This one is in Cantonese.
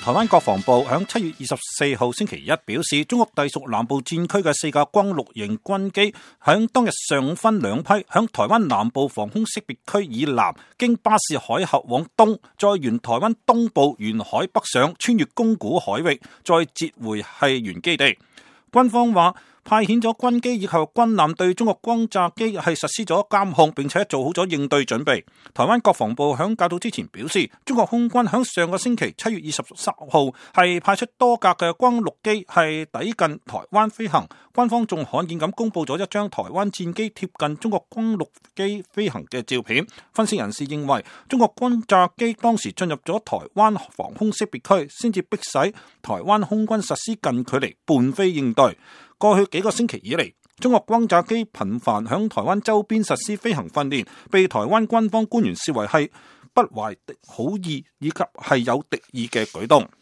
台灣國防部響7月24號星期一表示，中國隸屬南部戰區嘅4架轟六型軍機響當日上午分兩批，響台灣南部防空識別區以南，經巴士海峽往東，再沿台灣東部沿海北上，穿越宮古海域，再折回係原基地。軍方話派遣咗軍機以及軍艦對中國轟炸機係實施咗監控，並且做好咗應對準備。台灣國防部響較早之前表示，中國空軍響上個星期7月23號係派出多架嘅轟六機係抵近台灣飛行。軍方仲罕見咁公布咗一張台灣戰機貼近中國轟六機飛行嘅照片。分析人士認為，中國轟炸機當時進入咗台灣防空識別區，先至迫使台灣空軍實施近距離伴飛應對。過去幾個星期以嚟，中國轟炸機頻繁響台灣周邊實施飛行訓練，被台灣軍方官員視為係不懷好意以及係有敵意嘅舉動。